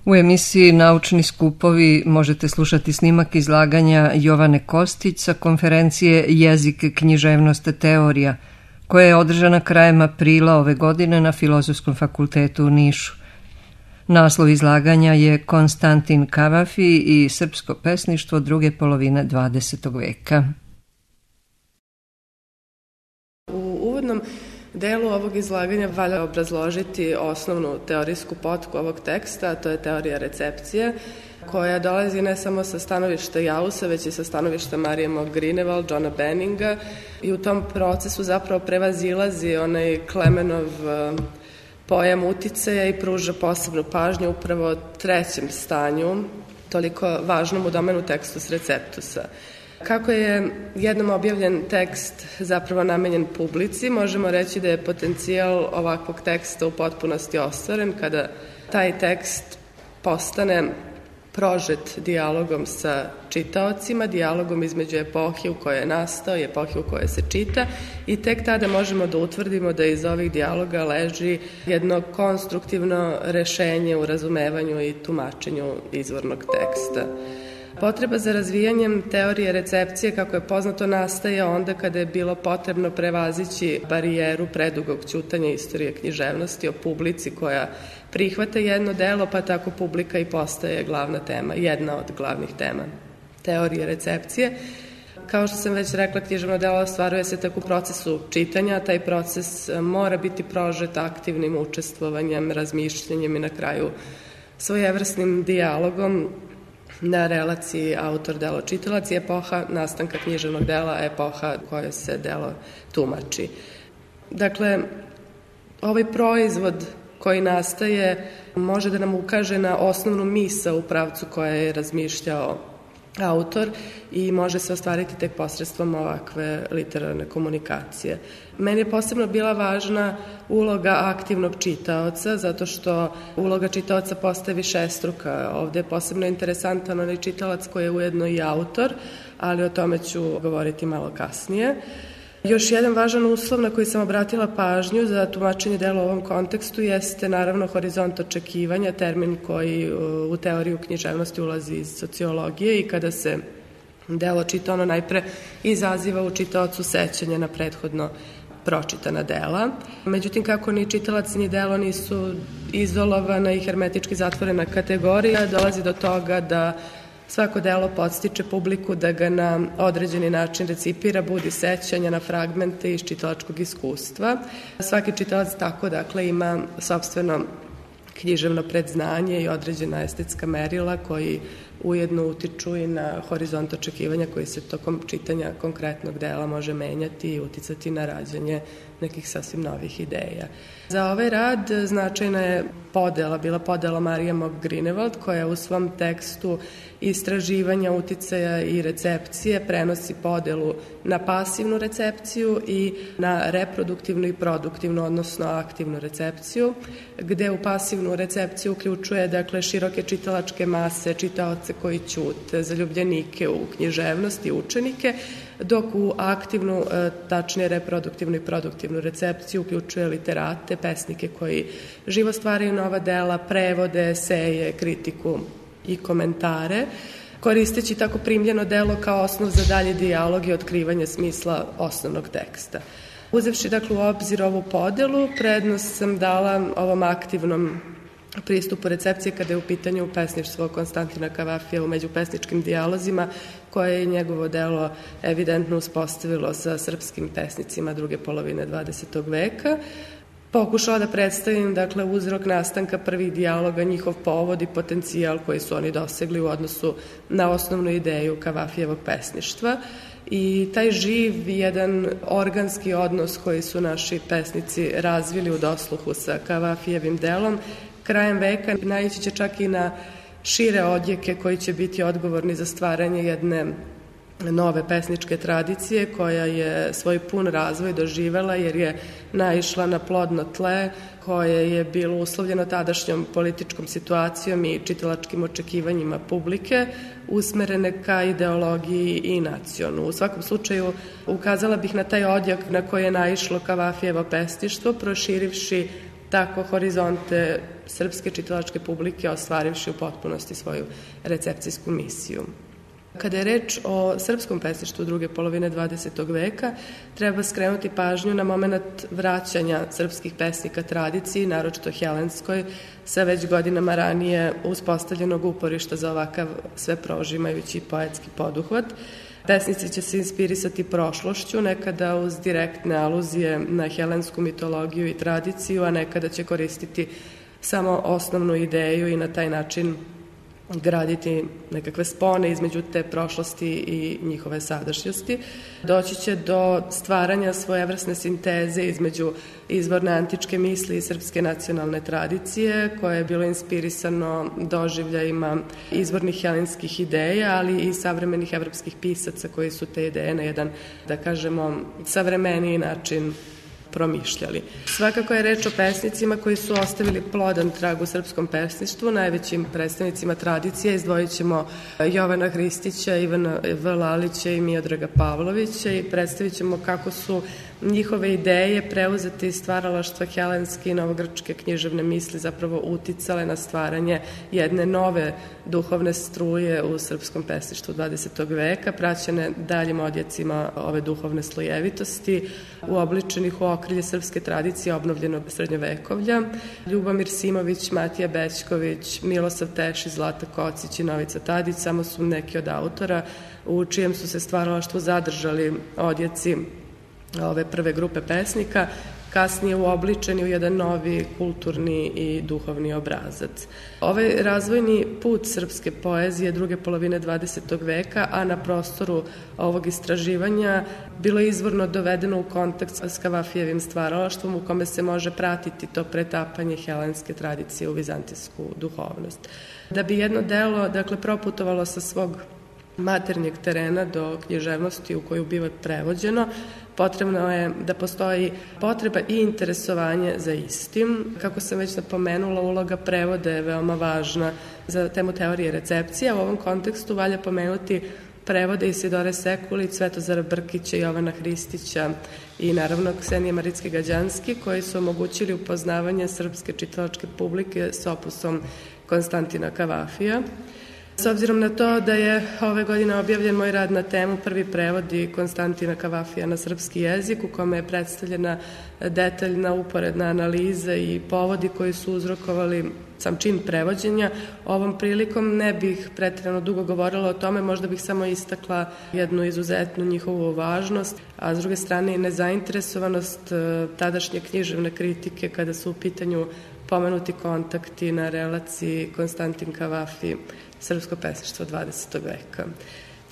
U emisiji Naučni skupovi možete slušati snimak izlaganja Jovane Kostić sa konferencije Jezik, književnost, teorija, koja je održana krajem aprila ove godine na Filozofskom fakultetu u Nišu. Naslov izlaganja je Konstantin Kavafi i srpsko pesništvo druge polovine 20. veka. U uvodnom delu ovog izlaganja valja obrazložiti osnovnu teorijsku potku ovog teksta, a to je teorija recepcije, koja dolazi ne samo sa stanovišta Jausa, već i sa stanovišta Marije Mac Greenewald, Johna Benninga, i u tom procesu zapravo prevazilazi onaj Klemenov pojam uticaja i pruža posebnu pažnju upravo trećem stanju, toliko važnom u domenu tekstus receptusa. Kako je jednom objavljen tekst zapravo namenjen publici, možemo reći da je potencijal ovakvog teksta u potpunosti ostvaren kada taj tekst postane prožet dijalogom sa čitaocima, dijalogom između epohe u kojoj je nastao i epohe u kojoj se čita, i tek tada možemo da utvrdimo da iz ovih dijaloga leži jedno konstruktivno rešenje u razumevanju i tumačenju izvornog teksta. Potreba za razvijanjem teorije recepcije, kako je poznato, nastaje onda kada je bilo potrebno prevazići barijeru predugog ćutanja istorije književnosti o publici koja prihvata jedno delo, pa tako publika i postaje glavna tema, jedna od glavnih tema teorije recepcije. Kao što sam već rekla, književno delo ostvaruje se tako u procesu čitanja, taj proces mora biti prožet aktivnim učestvovanjem, razmišljanjem i na kraju svojevrsnim dijalogom na relaciji autor-delo-čitalac i epoha nastanka književnog dela, epoha u kojoj se delo tumači. Dakle, ovaj proizvod koji nastaje može da nam ukaže na osnovnu misao u pravcu koja je razmišljao autor i može se ostvariti tek posredstvom ovakve literarne komunikacije. Meni je posebno bila važna uloga aktivnog čitaoca, zato što uloga čitaoca postaje višestruka. Ovde je posebno interesantan onaj čitalac koji je ujedno i autor, ali o tome ću govoriti malo kasnije. Još jedan važan uslov na koji sam obratila pažnju za tumačenje dela u ovom kontekstu jeste naravno horizont očekivanja, termin koji u teoriju književnosti ulazi iz sociologije, i kada se delo čita, ono najpre izaziva u čitaocu sećanje na prethodno pročitana dela. Međutim, kako ni čitalac ni delo nisu izolovana i hermetički zatvorena kategorija, dolazi do toga da svako delo podstiče publiku da ga na određeni način recipira, budi sećanja na fragmente iz čitalačkog iskustva. Svaki čitalac tako, dakle, ima sopstveno književno predznanje i određena estetska merila koji ujedno utiču i na horizont očekivanja koji se tokom čitanja konkretnog dela može menjati i uticati na rađanje nekih sasvim novih ideja. Za ovaj rad značajna je bila podela Marije Mac Greenewald, koja u svom tekstu istraživanja uticaja i recepcije prenosi podelu na pasivnu recepciju i na reproduktivnu i produktivnu, odnosno aktivnu recepciju, gde u pasivnu recepciju uključuje, dakle, široke čitalačke mase, čitaoce koji ćute, zaljubljenike u književnost i učenike, dok u aktivnu, tačnije reproduktivnu i produktivnu recepciju uključuje literate, pesnike koji živo stvaraju nova dela, prevode, eseje, kritiku i komentare, koristeći tako primljeno delo kao osnov za dalje dijalog i otkrivanje smisla osnovnog teksta. Uzevši, dakle, u obzir ovu podelu, prednost sam dala ovom aktivnom pristupu recepcije kada je u pitanju pesništvo Konstantina Kavafija u međupesničkim dijalozima, koje je njegovo delo evidentno uspostavilo sa srpskim pesnicima druge polovine 20. veka. Pokušala da predstavim, dakle, uzrok nastanka prvih dijaloga, njihov povod i potencijal koji su oni dosegli u odnosu na osnovnu ideju Kavafijevog pesništva. I taj živ, jedan organski odnos koji su naši pesnici razvili u dosluhu sa Kavafijevim delom, krajem veka naići će čak i na šire odjeke koji će biti odgovorni za stvaranje jedne nove pesničke tradicije koja je svoj pun razvoj doživela jer je naišla na plodno tle koje je bilo uslovljeno tadašnjom političkom situacijom i čitalačkim očekivanjima publike usmerene ka ideologiji i nacionu. U svakom slučaju ukazala bih na taj odjek na koji je naišlo Kavafijevo pesništvo, proširivši tako horizonte srpske čitalačke publike ostvarivši u potpunosti svoju recepcijsku misiju. Kada je reč o srpskom pesništvu druge polovine 20. veka, treba skrenuti pažnju na moment vraćanja srpskih pesnika tradiciji, naročito helenskoj, sa već godinama ranije uspostavljenog uporišta za ovakav sve prožimajući poetski poduhvat. Pesnici će se inspirisati prošlošću, nekada uz direktne aluzije na helensku mitologiju i tradiciju, a nekada će koristiti samo osnovnu ideju i na taj način graditi nekakve spone između te prošlosti i njihove sadašnjosti. Doći će do stvaranja svojevrsne sinteze između izvorne antičke misli i srpske nacionalne tradicije, koje je bilo inspirisano doživljajima izvornih helenskih ideja, ali i savremenih evropskih pisaca koji su te ideje na jedan, da kažemo, savremeniji način promišljali. Svakako je reč o pesnicima koji su ostavili plodan trag u srpskom pesništvu, najvećim predstavnicima tradicije izdvojit ćemo Jovana Hristića, Ivana Vlalića i Miodraga Pavlovića i predstavit ćemo kako su njihove ideje preuzete iz stvaralaštva helenske i novogrčke književne misli zapravo uticale na stvaranje jedne nove duhovne struje u srpskom pesništvu 20. veka, praćene daljim odjecima ove duhovne slojevitosti, uobličenih u okrilje srpske tradicije obnovljenog srednjovekovlja. Ljubomir Simović, Matija Bećković, Milosav Tešić, Zlata Kocić i Novica Tadić samo su neki od autora u čijem su se stvaralaštvu zadržali odjeci ove prve grupe pesnika, kasnije uobličeni u jedan novi kulturni i duhovni obrazac. Ovaj razvojni put srpske poezije druge polovine 20. veka, a na prostoru ovog istraživanja, bilo je izvorno dovedeno u kontakt s Kavafijevim stvaralaštvom u kome se može pratiti to pretapanje helenske tradicije u vizantijsku duhovnost. Da bi jedno delo, proputovalo sa svog maternjeg terena do književnosti u koju biva prevođeno, potrebno je da postoji potreba i interesovanje za istim. Kako sam već napomenula, uloga prevoda je veoma važna za temu teorije recepcije. U ovom kontekstu valja pomenuti prevode Isidore Sekulić, Svetozara Brkića, Jovana Hristića i naravno Ksenije Maritske Gađanski, koji su omogućili upoznavanje srpske čitalačke publike s opusom Konstantina Kavafija. S obzirom na to da je ove godine objavljen moj rad na temu prvi prevodi Konstantina Kavafija na srpski jezik, u kome je predstavljena detaljna uporedna analiza i povodi koji su uzrokovali sam čin prevođenja, ovom prilikom ne bih pretjerano dugo govorila o tome, možda bih samo istakla jednu izuzetnu njihovu važnost, a s druge strane i nezainteresovanost tadašnje književne kritike kada su u pitanju pomenuti kontakti na relaciji Konstantin Kavafi, srpsko pesništvo 20. veka.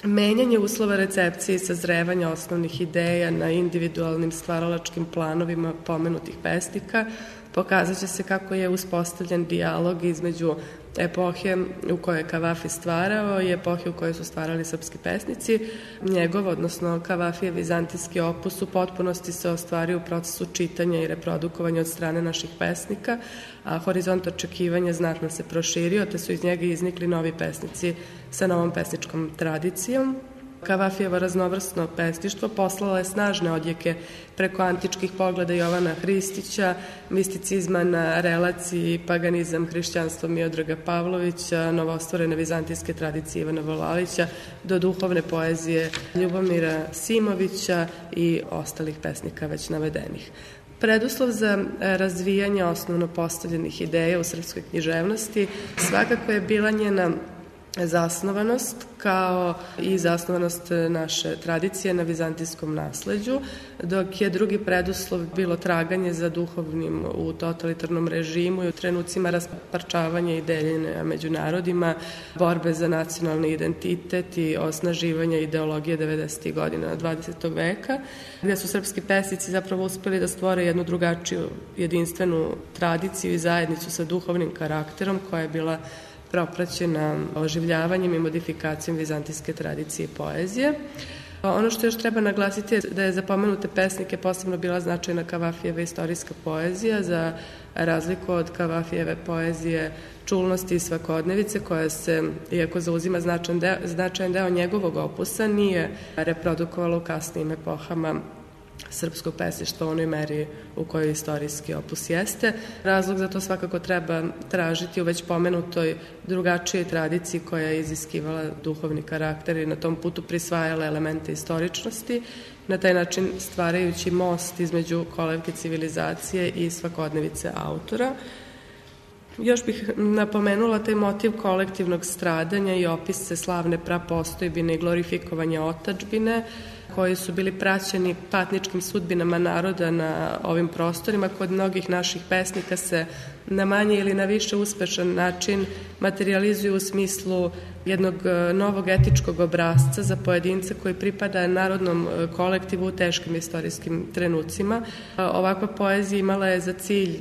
Menjanje uslova recepcije i sazrevanja osnovnih ideja na individualnim stvaralačkim planovima pomenutih pesnika pokazat će se kako je uspostavljen dijalog između epohe u kojoj je Kavafi stvarao i epohe u kojoj su stvarali srpski pesnici. Njegov, odnosno Kavafijev vizantijski opus u potpunosti se ostvario u procesu čitanja i reprodukovanja od strane naših pesnika, a horizont očekivanja znatno se proširio, te su iz njega iznikli novi pesnici sa novom pesničkom tradicijom. Kavafijevo raznovrsno pesništvo poslalo je snažne odjeke preko antičkih pogleda Jovana Hristića, misticizma na relaciji paganizam, hrišćanstvo Miodraga Pavlovića, novostvorene vizantijske tradicije Ivana Vlalića, do duhovne poezije Ljubomira Simovića i ostalih pesnika već navedenih. Preduslov za razvijanje osnovno postavljenih ideja u srpskoj književnosti svakako je bila njena zasnovanost, kao i zasnovanost naše tradicije na vizantijskom nasleđu, dok je drugi preduslov bilo traganje za duhovnim u totalitarnom režimu i u trenucima rasparčavanja i deljenja među narodima, borbe za nacionalni identitet i osnaživanja ideologije 90. godina 20. veka, gde su srpski pesnici zapravo uspeli da stvore jednu drugačiju jedinstvenu tradiciju i zajednicu sa duhovnim karakterom koja je bila propraćena oživljavanjem i modifikacijom vizantijske tradicije i poezije. Ono što još treba naglasiti je da je za pomenute pesnike posebno bila značajna Kavafijeva istorijska poezija, za razliku od Kavafijeve poezije čulnosti i svakodnevice, koja se, iako zauzima značajan deo njegovog opusa, nije reprodukovala u kasnijim epohama srpskog pesništva u onoj meri u kojoj istorijski opus jeste. Razlog za to svakako treba tražiti u već pomenutoj drugačijoj tradiciji koja je iziskivala duhovni karakter i na tom putu prisvajala elemente istoričnosti, na taj način stvarajući most između kolevke civilizacije i svakodnevice autora. Još bih napomenula taj motiv kolektivnog stradanja i opise slavne prapostojbine i glorifikovanja otadžbine, koji su bili praćeni patničkim sudbinama naroda na ovim prostorima. Kod mnogih naših pesnika se na manje ili na više uspešan način materializuju u smislu jednog novog etičkog obrasca za pojedinca koji pripada narodnom kolektivu u teškim istorijskim trenucima. Ovakva poezija imala je za cilj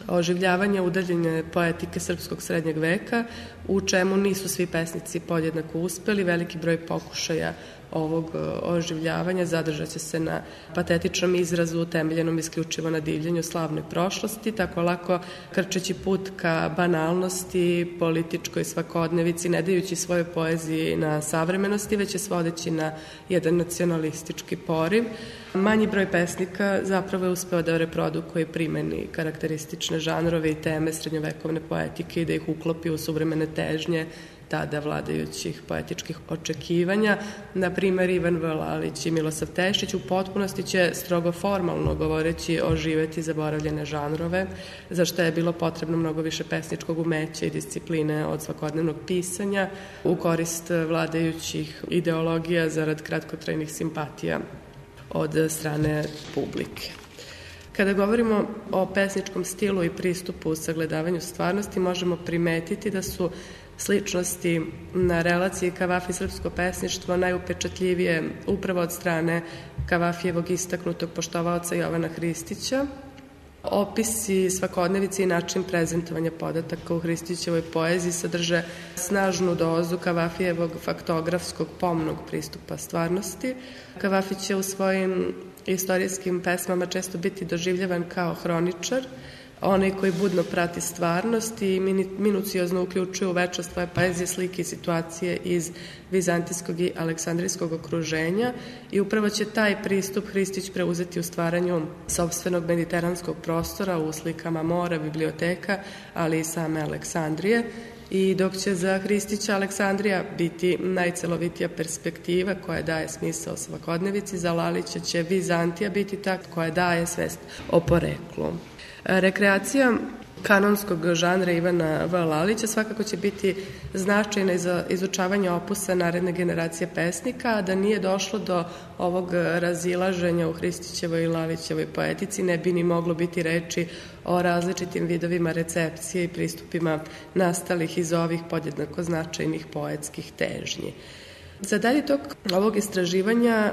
oživljavanje udaljene poetike srpskog srednjeg veka, u čemu nisu svi pesnici podjednako uspeli. Veliki broj pokušaja ovog oživljavanja zadržat će se na patetičnom izrazu utemeljenom isključivo na divljenju slavne prošlosti, tako lako krčeći put ka banalnosti, političkoj svakodnevici, ne dajući svoje poeziji na savremenosti, već je svodeći na jedan nacionalistički poriv. Manji broj pesnika zapravo je uspeo da reprodukuje i primeni karakteristične žanrove i teme srednjovekovne poetike i da ih uklopi u suvremene težnje tada vladajućih poetičkih očekivanja. Na primer, Ivan V. Lalić i Milosav Tešić u potpunosti će strogo formalno govoreći oživeti zaboravljene žanrove, za što je bilo potrebno mnogo više pesničkog umeća i discipline od svakodnevnog pisanja u korist vladajućih ideologija zarad kratkotrajnih simpatija od strane publike. Kada govorimo o pesničkom stilu i pristupu u sagledavanju stvarnosti, možemo primetiti da su sličnosti na relaciji Kavafi srpsko pesništvo najupečatljivije upravo od strane Kavafijevog istaknutog poštovaoca Jovana Hristića. Opisi svakodnevice i način prezentovanja podataka u Hristićevoj poeziji sadrže snažnu dozu Kavafijevog faktografskog pomnog pristupa stvarnosti. Kavafi će u svojim istorijskim pesmama često biti doživljavan kao hroničar, onaj koji budno prati stvarnost i minuciozno uključuje u večnost svoje poezije slike i situacije iz vizantijskog i aleksandrijskog okruženja i upravo će taj pristup Hristić preuzeti u stvaranju sopstvenog mediteranskog prostora u slikama mora, biblioteka, ali i same Aleksandrije. I dok će za Hristića Aleksandrija biti najcelovitija perspektiva koja daje smisao svakodnevici, za Lalića će Vizantija biti ta koja daje svest o poreklu. Rekreacija kanonskog žanra Ivana V. Lalića svakako će biti značajna za izučavanje opusa naredne generacije pesnika, a da nije došlo do ovog razilaženja u Hristićevoj i Lalićevoj poetici, ne bi ni moglo biti reči o različitim vidovima recepcije i pristupima nastalih iz ovih podjednako značajnih poetskih težnji. Za dalji tok ovog istraživanja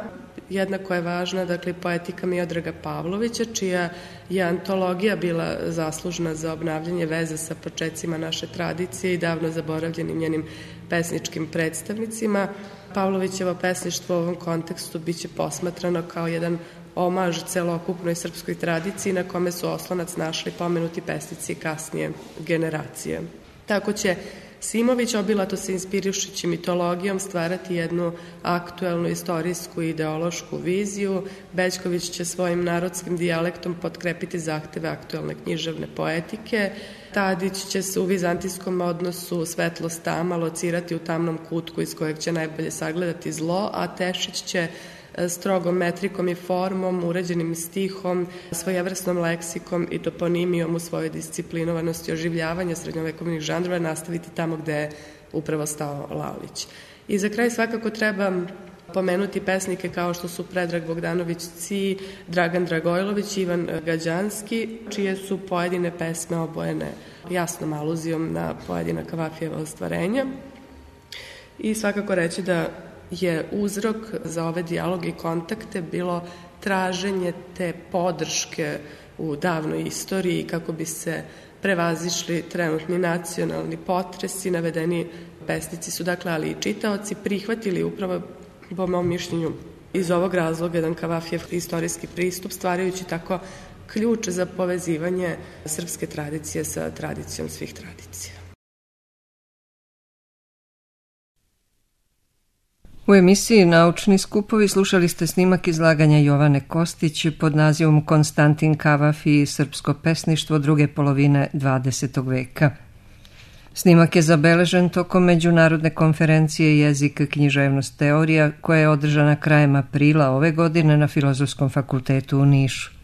jednako je važna, dakle, poetika Miodraga Pavlovića, čija je antologija bila zaslužna za obnavljanje veze sa počecima naše tradicije i davno zaboravljenim njenim pesničkim predstavnicima. Pavlovićevo pesništvo u ovom kontekstu biće posmatrano kao jedan omaž celokupnoj srpskoj tradiciji na kome su oslonac našli pomenuti pesnici kasnije generacije. Tako će Simović, obilato se inspirišući mitologijom, stvarati jednu aktuelnu istorijsku i ideološku viziju. Bećković će svojim narodskim dijalektom potkrepiti zahteve aktuelne književne poetike. Tadić će se u vizantijskom odnosu svetlost tama locirati u tamnom kutku iz kojeg će najbolje sagledati zlo, a Tešić će strogom metrikom i formom, uređenim stihom, svojevrsnom leksikom i toponimijom u svojoj disciplinovanosti oživljavanja srednjovekovnih žanrova nastaviti tamo gde je upravo stao Lalić. I za kraj svakako treba pomenuti pesnike kao što su Predrag Bogdanović Ci, Dragan Dragojlović, Ivan Gađanski, čije su pojedine pesme obojene jasnom aluzijom na pojedina Kavafijeva ostvarenja. I svakako reći da je uzrok za ove dijaloge i kontakte bilo traženje te podrške u davnoj istoriji kako bi se prevazišli trenutni nacionalni potresi. Navedeni pesnici su, dakle, ali i čitaoci prihvatili upravo, po mom mišljenju, iz ovog razloga jedan Kavafijev istorijski pristup, stvarajući tako ključ za povezivanje srpske tradicije sa tradicijom svih tradicija. U emisiji Naučni skupovi slušali ste snimak izlaganja Jovane Kostić pod nazivom Konstantin Kavafi i srpsko pesništvo druge polovine 20. veka. Snimak je zabeležen tokom međunarodne konferencije Jezik, književnost, teorija koja je održana krajem aprila ove godine na Filozofskom fakultetu u Nišu.